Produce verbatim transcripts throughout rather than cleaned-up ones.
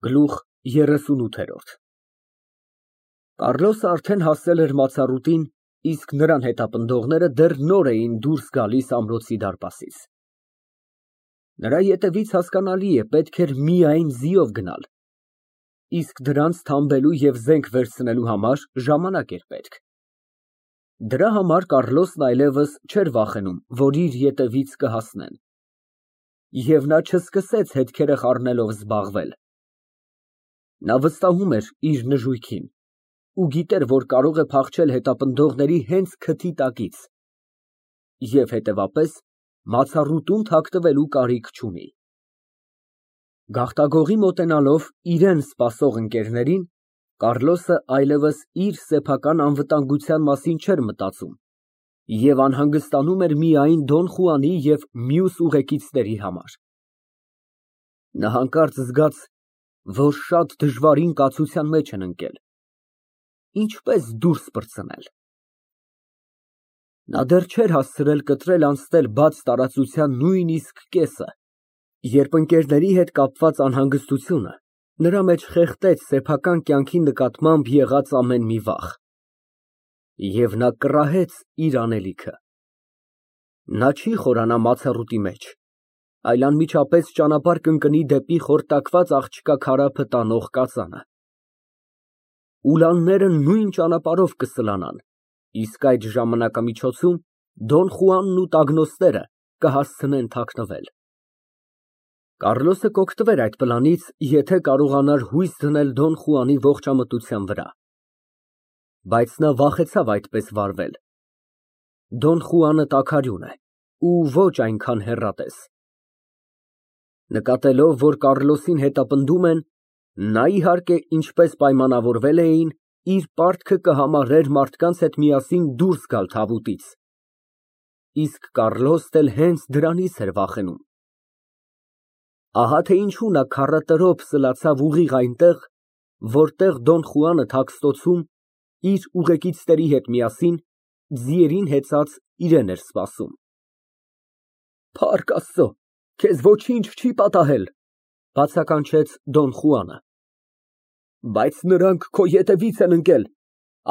Գլուխ երեսունութ Կառլոսը արդեն հասել էր մացառուտին, իսկ նրան հետապնդողները դեռ նոր էին դուրս գալիս ամրոցի դարպասից։ Նրա ետևից, հասկանալի է, պետք էր միայն ձիով գնալ, իսկ դրանց թամբելու և զենք վերցնելու համար ժամանակ էր պետք։ Դրա համար Կառլոսն այլևս չէր վախենում, որ իր ետևից կհասնեն, և նա չսկսեց հետքերը խառնելով զբաղվել։ Նա վստահում էր իր նժույգին ու գիտեր, որ կարող է փախչել հետապնդողների հենց քթի տակից և, հետևապես, մացառուտում թաքնվելու կարիք չունի։ Գաղտագողի մոտենալով իրան սպասող ընկերներին, Կառլոսը այլևս իր սեփական անվտանգության մասին չէր մտածում և անհանգստանում էր միայն Դոն Խուանի և մյուս ուղեկիցների համար։ Նա հանկարծ զգաց, որ շատ դժվարին կացության մեջ են ընկել։ Ինչպե՞ս դուրս պրծնել։ Նա դեռ չէր հասցրել կտրել֊անցնել բաց տարածության նույնիսկ կեսը, երբ ընկերների հետ կապված անհանգստությունը նրա մեջ խեղդեց սեփական կյանքի նկատմամբ եղած ամեն մի վախ, և նա կռահեց իր անելիքը։ Նա չի խորանա մացառուտի մեջ, այլ անմիջապես ճանապարհ կընկնի դեպի խորտակված աղջկա քարափը տանող կածանը։ Ուլանները նույն ճանապարհով կսլանան, իսկ այդ ժամանակամիջոցում Դոն Խուանն ու տագնոստները կհասցնեն թաքնվել։ Կառլոսը կօգտվեր այդ պլանից, եթե կարողանար հույս դնել Դոն Խուանի ողջամտության վրա։ Բայց նա վախեցավ այդպես վարվել։ Դոն Խուանը տաքարյուն է ու ոչ այնքան հեռատես։ Նկատելով, որ Կառլոսին հետապնդում են, նա, իհարկե, ինչպես պայմանավորվել էին, իր պարտքը կհամարեր մարդկանց հետ միասին դուրս գալ թավուտից, իսկ Կառլոսն էլ հենց դրանից էր վախենում։ Ահա թե ինչու նա քառատրոփ սլացավ ուղիղ այնտեղ, որտեղ Դոն Խուանը թաքստոցում, իր ուղեկիցների հետ միասին, ձիերին հեծած իրան էր սպասում։ Փառք Աստծո, քեզ ոչինչ չի պատահել, բացականչեց Դոն Խուանը։ Բայց նրանք քո ետևից են ընկել,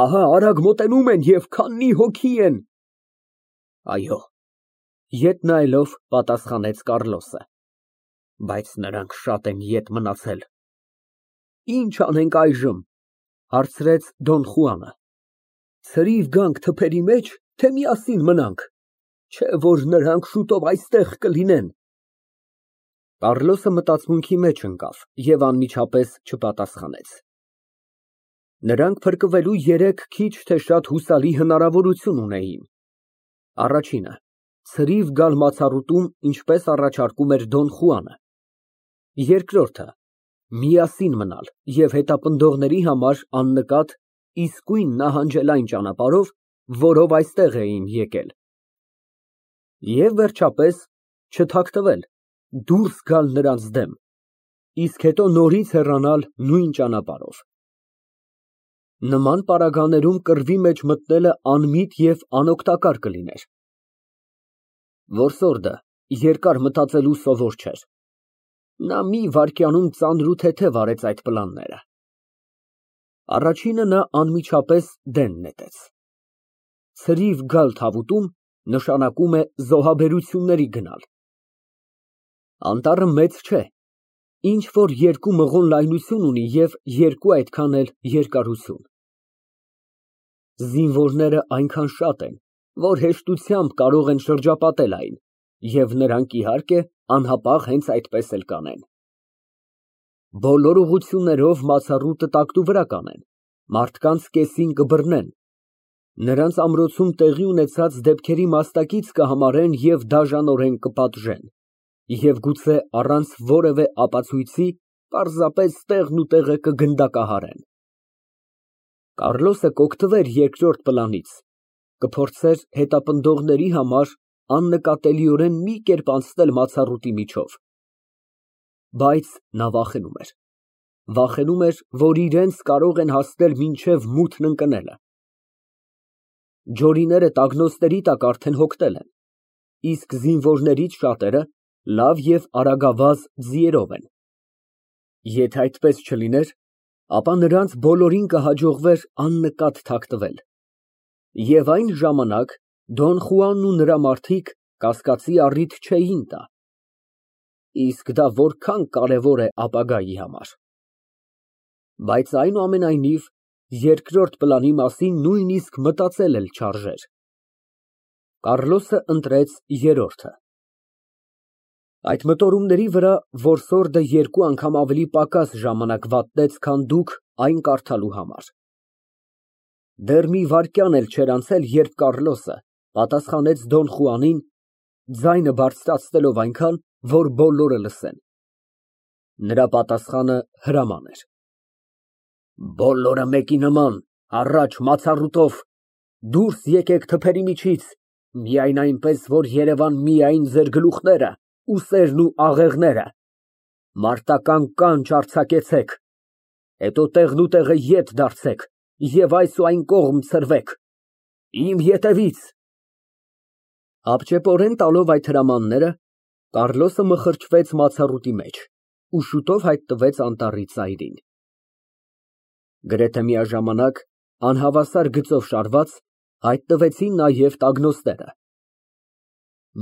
ահա արագ մոտենում են և քանի հոգի են։ Այո, ետ նայելով, պատասխանեց Կառլոսը։ Բայց նրանք շատ են ետ մնացել։ Ինչ անենք այժմ, հարցրեց Դոն Խուանը։ Ցրիվ գանք թփերի մեջ, թե միասին մնանք, չէ որ նրանք շուտով այստեղ կլինեն։ Կառլոսը մտածմունքի մեջ ընկավ և անմիջապես չպատասխանեց։ Նրանք փրկվելու երեք քիչ թե շատ հուսալի հնարավորություն ունեին։ Առաջինը՝ ցրիվ գալ մացառուտում, ինչպես առաջարկում էր Դոն Խուանը։ Երկրորդը՝ միասին մնալ և հետապնդողների համար աննկատ, իսկույն նահանջել այն ճանապարհով, որով այստեղ էին եկել։ Եվ, վերջապես, չթաքնվել, դուրս գալ նրանց դեմ, իսկ հետո նորից հեռանալ նույն ճանապարհով։ Նման պարագաներում կռվի մեջ մտնելը անմիտ և անօգտակար կլիներ։ Որսորդը երկար մտածելու սովոր չէր։ Նա մի վայրկյանում ծանրութեթև արեց այդ պլանները։ Առաջինը նա անմիջապես դեն նետեց։ Ցրիվ գալ թավուտում նշանակում է զոհաբերությունների գնալ։ Անտառը մեծ չէ, ինչ որ երկու մղոն լայնություն ունի և երկու այդքան էլ երկարություն։ Զինվորները այնքան շատ են, որ հեշտությամբ կարող են շրջապատել այն, և նրանք, իհարկե, անհապաղ հենց այդպես էլ կանեն։ Բոլոր ուղղություններով մացառուտը տակտուվրա կանեն, մարդկանց կեսին կբռնեն, նրանց ամրոցում տեղի ունեցած դեպքերի մասնակից կհամարեն և դաժանորեն կպատժեն, և գուցե առանց որևէ ապացույցի պարզապես տեղն ու տեղը կգնդակահարեն։ Կառլոսը կօգտվեր երկրորդ պլանից, կփորձեր հետապնդողների համար աննկատելիորեն մի կերպ անցնել մացառուտի միջով։ Բայց նա վախենում էր։ Վախենում էր, որ իրենց կարող են հասնել մինչև մութն ընկնելը։ Ջորիները տագնոստների տակ արդեն հոգնել են, իսկ զինվորներից շատերը լավ և արագավազ ձիերով են։ Եթե այդպես չլիներ, ապա նրանց բոլորին կհաջողվեր աննկատ թաքնվել, և այն ժամանակ Դոն Խուանն ու նրա մարդիկ կասկածի առիթ չէին տա, իսկ դա որքան կարևոր է ապագայի համար։ Բայց այնուամենայնիվ, երկրորդ պլանի մասին նույնիսկ մտածել էլ չարժեր։ Կառլոսը ընտրեց երրորդը։ Այդ մտորումների վրա որսորդը երկու անգամ ավելի պակաս ժամանակ վատնեց, քան դուք այն կարդալու համար։ Դեռ մի վայրկյան էլ չէր անցել, երբ Կառլոսը պատասխանեց Դոն Խուանին, ձայնը բարձրացնելով այնքան, որ բոլորը լսեն։ Նրա պատասխանը հրաման էր. Բոլորը մեկի նման, առաջ մացառուտով, դուրս եկեք թփերի միջից, միայն այնպես, որ երևան միայն ձեր գլուխները, ուսերն ու աղեղները, մարտական կանչ արձակեցեք, հետո տեղնուտեղը ետ դարձեք և այս ու այն կողմ ցրվեք, իմ ետևից։ Հապճեպորեն տալով այդ հրամանները, Կառլոսը մխրճվեց մացառուտի մեջ ու շուտով հայտնվեց անտառի ծայրին։ Գրեթե միաժամանակ, անհավասար գծով շարված, հայտնվեցին նաև տագնոստները։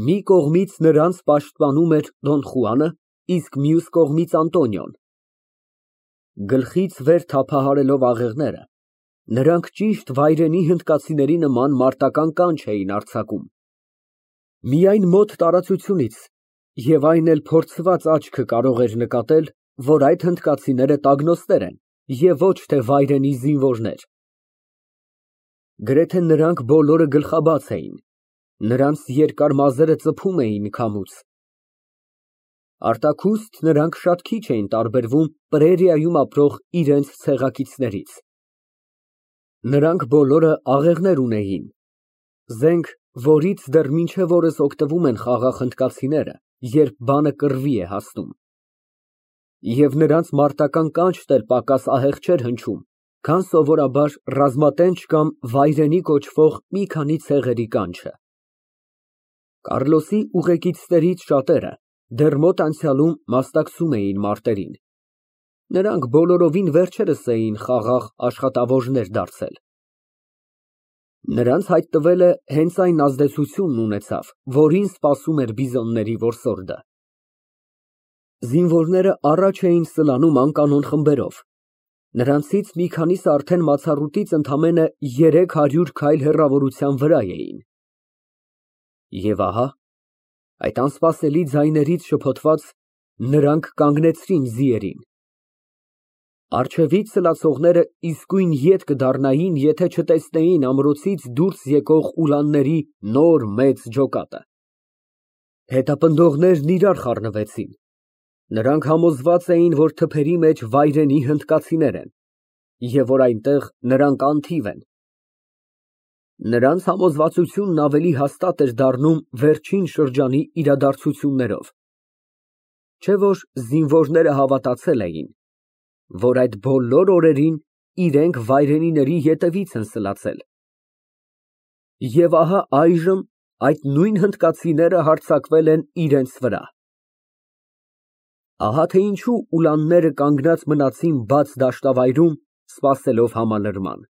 Մի կողմից նրանց պաշտպանում էր Դոն Խուանը, իսկ մյուս կողմից Անտոնիոն։ Գլխից վեր թափահարելով աղեղները, նրանք ճիշտ վայրենի հնդկացիների նման մարտական կանչ էին արձակում։ Միայն մոտ տարածությունից, և այն էլ փորձված աչքը կարող էր նկատել, որ այդ հնդկացիները տագնոստներ են և ոչ թե վայրենի զինվորներ։ Գրեթե նրանք բոլորը գլխաբաց էին, նրանց երկար մազերը ծփում էին քամուց։ Արտաքուստ նրանք շատ քիչ էին տարբերվում պրերիայում ապրող իրենց ցեղակիցներից։ Նրանք բոլորը աղեղներ ունեին, զենք, որից դեռ մինչև օրս օգտվում են խաղաղ հնդկացիները, երբ բանը կռվի է հասնում։ Եվ նրանց մարտական կանչն էլ պակաս ահեղ չէր հնչում, քան սովորաբար ռազմատենչ կամ վայրենի կոչվող մի քանի ցեղերի կանչը։ Կառլոսի ուղեկիցներից շատերը դեռ մոտ անցյալում մասնակցում էին մարտերին։ Նրանք բոլորովին վերջերս էին խաղաղ աշխատավորներ դարձել։ Նրանց հայտնվելը հենց այն ազդեցությունն ունեցավ, որին սպասում էր բիզոնների որսորդը։ Զինվորները առաջ էին սլանում անկանոն խմբերով։ Նրանցից մի քանիսը արդեն մացառուտից ընդամենը երեք հարյուր քայլ հեռավորության վրա էին։ Եվ ահա, այդ անսպասելի ձայներից շփոթված, նրանք կանգնեցրին ձիերին։ Առջևից սլացողները իսկույն ետ կդառնային, եթե չտեսնեին ամրոցից դուրս եկող ուլանների նոր մեծ ջոկատը։ Հետապնդողներն իրար խառնվեցին։ Նրանք համոզված էին, որ թփերի մեջ վայրենի հնդկացիներ են, և որ այնտեղ նրանք անթիվ են։ Նրանց համոզվածությունն ավելի հաստատ էր դառնում վերջին շրջանի իրադարձություններով, չէ՞ որ զինվորները հավատացել էին, որ այդ բոլոր օրերին իրենք վայրենիների ետևից են սլացել։ Եվ ահա այժմ այդ նույն հնդկացիները հարձակվել են իրենց վրա։ Ահա թե ինչու ուլանները կանգնած մնացին բաց դաշտավայրում, սպասելով համալրման։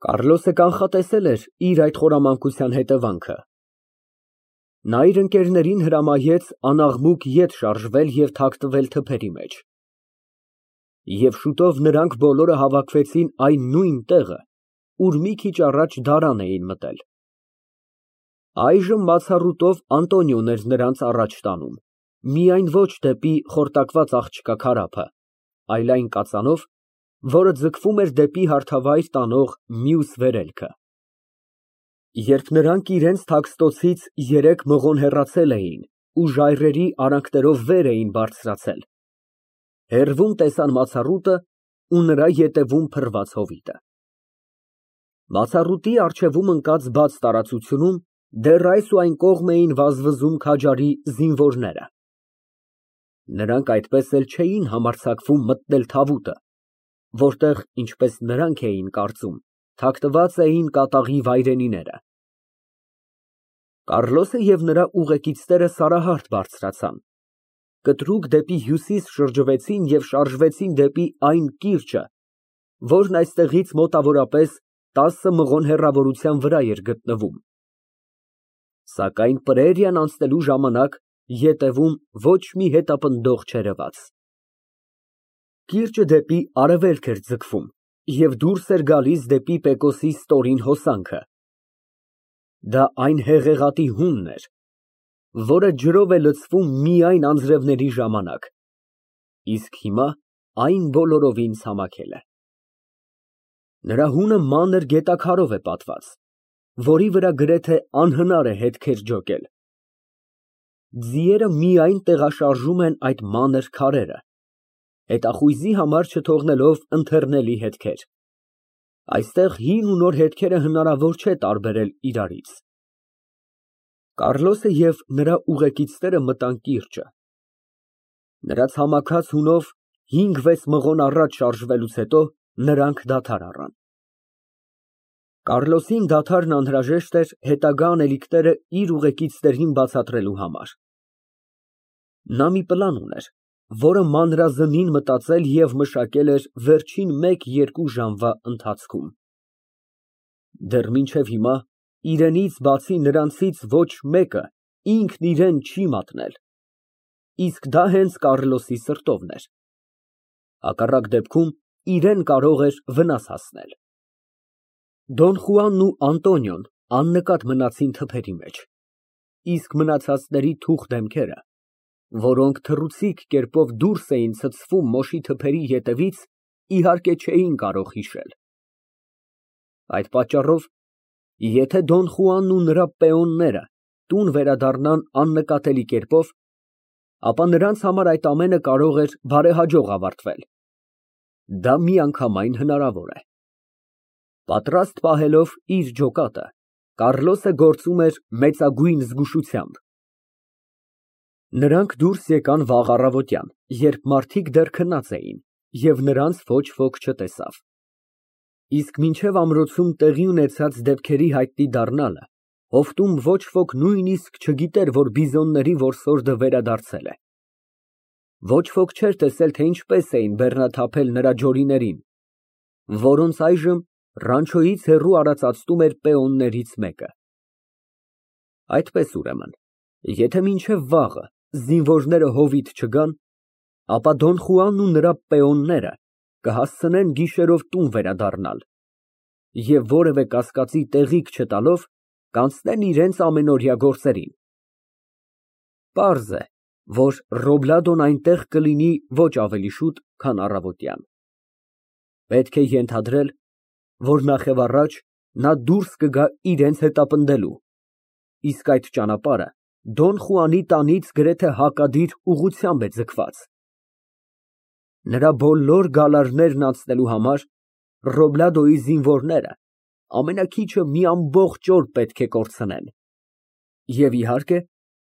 Կառլոսը կանխատեսել էր իր այդ խորամանկության հետևանքը։ Նա իր ընկերներին հրամայեց անաղմուկ ետ շարժվել և թաքնվել թփերի մեջ։ Եվ շուտով նրանք բոլորը հավաքվեցին այն նույն տեղը, ուր մի քիչ առաջ դարան էին մտել։ Այժմ մացառուտով Անտոնիոն էր նրանց առաջ տանում, միայն ոչ դեպի խորտակված աղջկա քարափը, այլ այն կածանով, որը ձգվում էր դեպի հարթավայր տանող մյուս վերելքը։ Երբ նրանք իրենց թաքստոցից երեք մղոն հեռացել էին ու ժայռերի արանքներով վեր էին բարձրացել, հեռվում տեսան մացառուտը ու նրա ետևում փռված հովիտը։ Բացառուտի առջևում ընկած բաց տարածությունում դեռ այս ու այն կողմ էին վազվզում քաջարի զինվորները։ Նրանք այդպես էլ չէին համարձակվում մտնել թավուտը, որտեղ, ինչպես նրանք էին կարծում, թաքնված էին կատաղի վայրենիները։ Կառլոսը և նրա ուղեկիցները սարահարթ բարձրացան։ կտրուկ դեպի հյուսիս շրջվեցին և շարժվեցին դեպի այն կիրճը, որն այստեղից մոտավորապես տասը մղոն հեռավորության վրա էր գտնվում, սակայն պրերիան անցնելու ժամանակ ետևում ոչ մի հետապնդող չերևաց։ Կիրճը դեպի արևելք էր ձգվում և դուրս էր գալիս դեպի Պեկոսի ստորին հոսանքը։ Դա այն հեղեղատի հունն էր, որը ջրով է լցվում միայն անձրևների ժամանակ, իսկ հիմա այն բոլորովին ցամաքել է։ Նրա հունը մանր գետաքարով է պատված, որի վրա գրեթե անհնար է հետքեր ջոկել։ Ձիերը միայն տեղաշարժում են այդ մանր քարերը, հետախույզի համար չթողնելով ընթեռնելի հետքեր։ Այստեղ հին ու նոր հետքերը հնարավոր չէ տարբերել իրարից։ Կառլոսը և նրա ուղեկիցները մտան կիրճը։ Նրա ցամաքած հունով հինգ֊վեց մղոն առաջ շարժվելուց հետո նրանք դադար առան։ Կառլոսին դադարն անհրաժեշտ էր հետագա անելիքները իր ուղեկիցներին բացատրելու համար։ Նա մի պլան ուներ, որը մանրազնին մտածել և մշակել էր վերջին մեկ֊երկու ժամվա ընթացքում։ Դեռ մինչև հիմա իրենից բացի նրանցից ոչ մեկը ինքն իրան չի մատնել, իսկ դա հենց Կառլոսի սրտովն էր, հակառակ դեպքում իրան կարող էր վնաս հասնել։ Դոն Խուանն ու Անտոնիոն աննկատ մնացին թփերի մեջ, իսկ մնացածների թուխ դեմքերը, որոնք թռուցիկ կերպով դուրս էին ցցվում մոշի թփերի ետևից, իհարկե չէին կարող հիշել։ Այդ պատճառով, եթե Դոն Խուանն ու նրա պեոնները տուն վերադառնան աննկատելի կերպով, ապա նրանց համար այդ ամենը կարող էր բարեհաջող ավարտվել։ Դա միանգամայն հնարավոր է։ Պատրաստ պահելով իր ջոկատը, Կառլոսը գործում էր մեծագույն զգուշությամբ։ Նրանք դուրս եկան վաղ առավոտյան, երբ մարդիկ դեռ քնած էին, և նրանց ոչ ոք չտեսավ։ Իսկ մինչև ամրոցում տեղի ունեցած դեպքերի հայտնի դառնալը, հովտում ոչ ոք նույնիսկ չգիտեր, որ բիզոնների որսորդը վերադարձել է։ Ոչ ոք չէր տեսել, թե ինչպես էին բեռնաթափել նրա ջորիներին, որոնց այժմ ռանչոյից հեռու արածացնում էր պեոններից մեկը։ Այդպես ուրեմն, եթե մինչև վաղը զինվորները հովիտ չգան, ապա Դոն Խուանն ու նրա պեոնները կհասցնեն գիշերով տուն վերադառնալ և որևէ կասկածի տեղիք չտալով կանցնեն իրենց ամենօրյա գործերին։ Պարզ է, որ Ռոբլադոն այնտեղ կլինի ոչ ավելի շուտ, քան առավոտյան։ Պետք է ենթադրել, որ նախևառաջ նա դուրս կգա իրենց հետապնդելու, իսկ այդ ճանապարհը Դոն Խուանի տանից գրեթե հակադիր ուղղությամբ է ձգված։ Նրա բոլոր գալարներն անցնելու համար Ռոբլադոյի զինվորները ամենաքիչը մի ամբողջ օր պետք է կորցնեն։ Եվ իհարկե,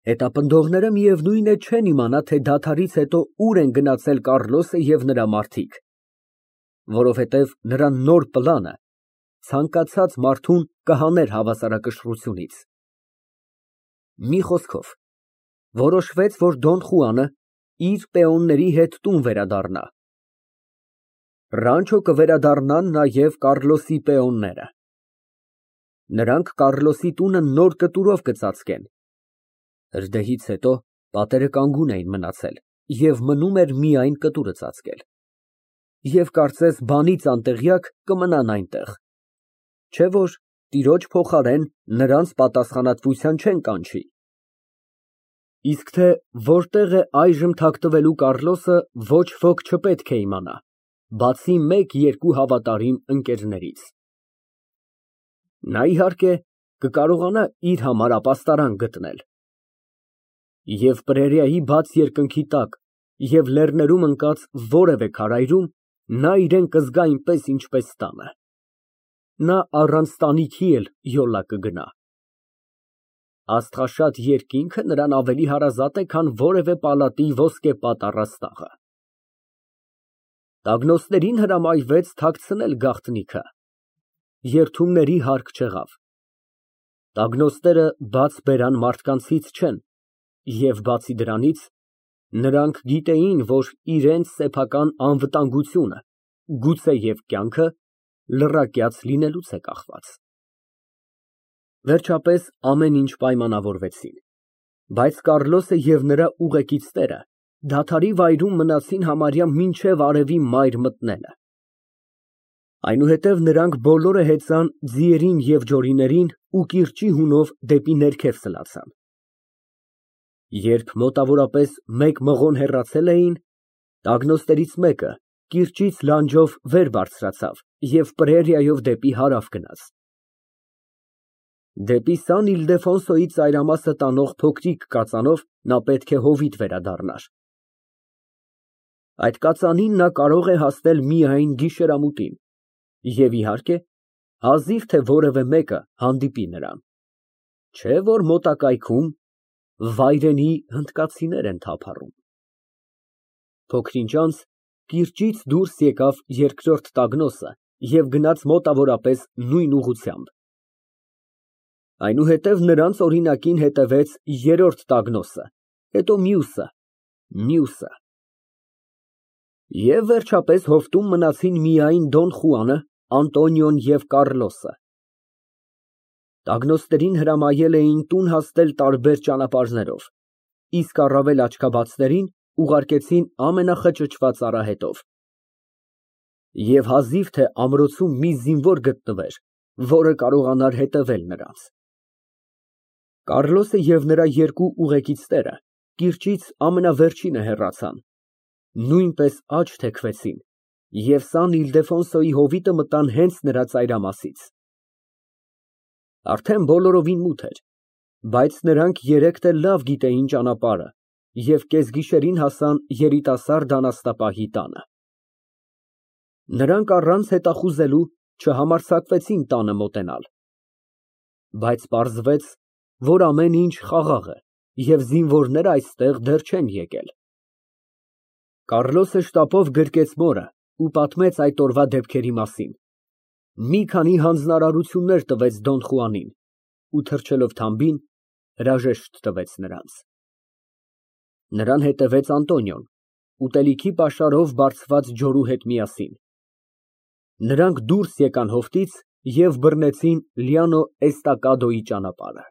հետապնդողները միևնույն է չեն իմանա, թե դադարից հետո ուր են գնացել Կառլոսը և նրա մարդիկ, որովհետև նրա նոր պլանը ցանկացած մարդուն կհաներ հավասարակշռությունից։ Մի խոսքով, որոշվեց, որ Դոն Խուանը իր պեոնների հետ տուն վերադառնա։ Ռանչո կվերադառնան նաև Կառլոսի պեոնները։ Նրանք Կառլոսի տունը նոր կտուրով կծածկեն։ Հրդեհից հետո պատերը կանգուն էին մնացել և մնում էր միայն կտուրը ծածկել։ Եվ կարծես բանից անտեղյակ կմնան այնտեղ, չէ՞ որ տիրոջ փոխարեն նրանց պատասխանատվության չեն կանչի։ Իսկ թե որտեղ է այժմ թաքնվելու Կառլոսը, ոչ ոք չպետք է իմանա, բացի մեկ֊երկու հավատարիմ ընկերներից։ Նա, իհարկե, կկարողանա իր համար ապաստարան գտնել։ Եվ պրերիայի բաց երկնքի տակ և լեռներում ընկած որևէ քարայրում նա իրան կզգա այնպես, ինչպես տանը։ Նա առանց տանիքի էլ յոլա կգնա։ Աստղաշատ երկինքը նրան ավելի հարազատ է, քան որևէ պալատի ոսկեպատ առաստաղը։ Տագնոցներին հրամայվեց թաքցնել գաղտնիքը։ Երդումների հարկ չեղավ։ Տագնոցները բաց բերան մարդկանցից չեն, և բացի դրանից, Նրանք գիտեին, որ իրենց սեփական անվտանգությունը, գուցեև կյանքը, լռակյաց լինելուց է կախված։ Վերջապես ամեն ինչ պայմանավորվեցին, բայց Կառլոսը և նրա ուղեկիցները դադարի վայրում մնացին համարյա մինչև արևի մայր մտնելը։ Այնուհետև նրանք բոլորը հեծան ձիերին և ջորիներին ու կիրճի հունով դեպի ներքև սլացան։ Երբ մոտավորապես մեկ մղոն հեռացել էին, տագնոստերից մեկը կիրճից լանջով վեր բարձրացավ և պրերիայով դեպի հարավ գնաց։ Դեպի Սան Իլդեֆոնսոյի ծայրամասը տանող փոքրիկ կածանով նա պետք է հովիտ վերադառնար։ Այդ կածանին նա կարող է հասնել միայն գիշերամուտին և, իհարկե, հազիվ թե որևէ մեկը հանդիպի նրան, չէ որ մոտակայքում վայրենի հնդկացիներ են թափառում։ Փոքր ինչ անց կիրճից դուրս եկավ երկրորդ տագնոսը և գնաց մոտավորապես նույն ուղղությամբ։ Այնուհետև նրանց օրինակին հետևեց երրորդ տագնոսը, հետո մյուսը, մյուսը… Եվ վերջապես հովտում մնացին միայն Դոն Խուանը, Անտոնիոն և Կառլոսը։ Տագնոստերին հրամայել էին տուն հասնել տարբեր ճանապարհներով, իսկ առավել աչքաբացներին ուղարկեցին ամենախճճված արահետով։ Եվ հազիվ թե ամրոցում մի զինվոր գտնվեր, որը կարողանար հետևել նրանց։ Կառլոսը և նրա երկու ուղեկիցները կիրճից ամենավերջինը հեռացան, նույնպես աջ թեքվեցին և Սան Իլդեֆոնսոյի հովիտը մտան հենց նրա ծայրամասից։ Արդեն բոլորովին մութ էր, բայց նրանք երեքդ էլ լավ գիտեին ճանապարհը և կեսգիշերին հասան երիտասարդ անասնապահի տանը։ Նրանք առանց հետախուզելու չհամարձակվեցին տանը մոտենալ, բայց պարզվեց, որ ամեն ինչ խաղաղ է և զինվորներն այստեղ դեռ չեն եկել։ Կառլոսը շտապով գրկեց մորը ու պատմեց այդ օրվա դեպքերի մասին, մի քանի հանձնարարություններ տվեց Դոն Խուանին ու, թռչելով թամբին, հրաժեշտ տվեց նրանց։ Նրան հետևեց Անտոնիոն, ուտելիքի պաշարով բարձված ջորու հետ միասին։ Նրանք դուրս եկան հովտից և բռնեցին Լիանո Էստակադոյի ճանապարհը։